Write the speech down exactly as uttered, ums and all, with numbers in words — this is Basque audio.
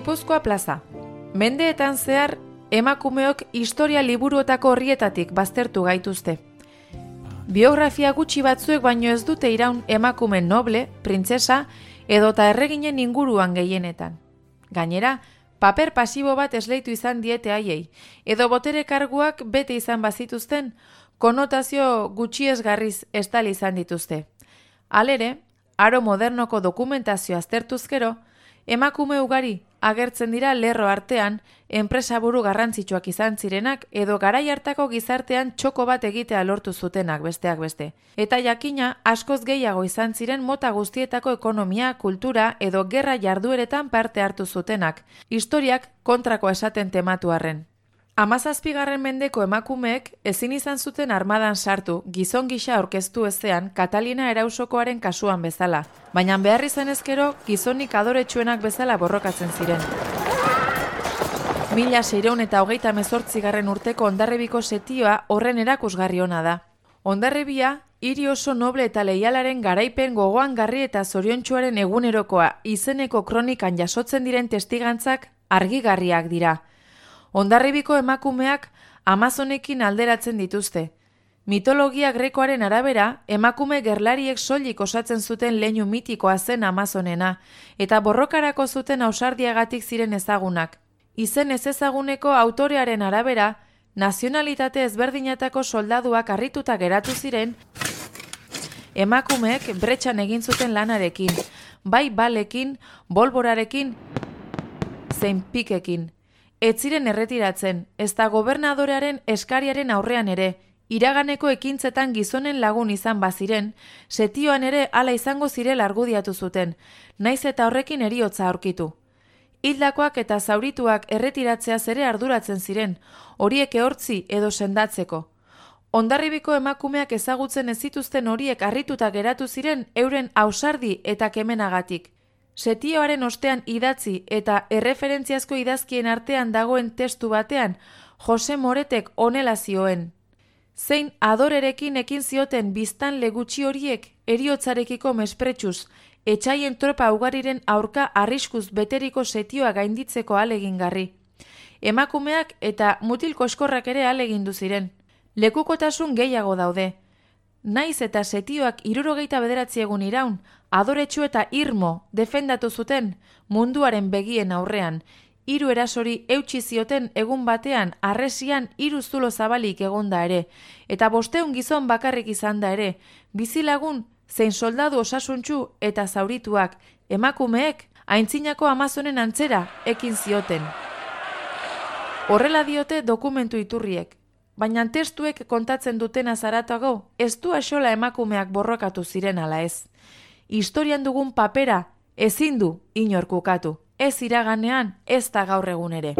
Gipuzkoa plaza. Mendeetan zehar, emakumeok historia liburuetako horrietatik baztertu gaituzte. Biografia gutxi batzuek baino ez dute iraun emakume noble, printzesa edota erreginen inguruan gehienetan. Gainera, paper pasibo bat esleitu izan diete haiei, edo botere karguak bete izan bazituzten, konotazio gutxiesgarriz estali izan dituzte. Halere, aro modernoko dokumentazio aztertuz gero, emakume ugari agertzen dira lerro artean enpresaburu garrantzitsuak izan zirenak edo garai hartako gizartean txoko bat egitea lortu zutenak besteak beste. Eta jakina askoz gehiago izan ziren mota guztietako ekonomia, kultura edo gerra jardueretan parte hartu zutenak, historiak kontrakoa esaten tematu arren. Hamazazpigarren mendeko emakumeek ezin izan zuten armadan sartu gizon gisa aurkeztu ezean Katalina Erausokoaren kasuan bezala, baina behar izan ezkero gizonik adoretsuenak bezala borrokatzen ziren. Mila seiehun eta hogeita hemezortzigarren urteko Hondarribiko setioa horren erakusgarri ona da. Hondarribia, hiri oso noble eta leialaren garaipen gogoangarri eta zoriontsuaren egunerokoa izeneko kronikan jasotzen diren testigantzak argigarriak dira. Hondarribiko emakumeak Amazonekin alderatzen dituzte. Mitologia grekoaren arabera, emakume gerlariek soilik osatzen zuten leinu mitikoa zen Amazonena, eta borrokarako zuten ausardiagatik ziren ezagunak. Izen ez ezaguneko autorearen arabera, nazionalitate ezberdinetako soldaduak harrituta geratu ziren, emakumeek bretxan egin zuten lanarekin, bai balekin, bolborarekin, zein pikekin. Ez ziren erretiratzen, ezta gobernadorearen eskariaren aurrean ere, iraganeko ekintzetan gizonen lagun izan baziren, setioan ere hala izango zirela argudiatu zuten, naiz eta horrekin heriotza aurkitu. Hildakoak eta zaurituak erretiratzeaz ere arduratzen ziren, horiek ehortzi edo sendatzeko. Hondarribiko emakumeak ezagutzen ez zituzten horiek harrituta geratu ziren euren ausardi eta kemenagatik. Setioaren ostean idatzi eta erreferentziazko idazkien artean dagoen testu batean, Jose Moretek honela zioen. Zein adorerekin ekin zioten biztanle gutxi horiek heriotzarekiko mespretsuz, etxaien tropa ugariren aurka arriskuz beteriko setioa gainditzeko ahalegingarri. Emakumeak eta mutil koskorrak ere ahalegindu ziren. Lekukotasun gehiago daude. Naiz eta setioak hirurogeita bederatzi egun iraun, adoretsu eta irmo defendatu zuten munduaren begien aurrean, hiru erasori eutsi zioten egun batean harresian hiru zulo zabalik egonda ere, eta bosteun gizon bakarrik izan da ere, bizilagun zein soldadu osasuntsu eta zaurituak, emakumeek aintzinako Amazonen antzera ekin zioten. Horrela diote dokumentu iturriek. Baina testuek kontatzen dutena zaratago, ez du axola emakumeak borrokatu ziren ala ez. Historian dugun papera ezin du inork ukatu, ez iraganean ez da gaur egun ere.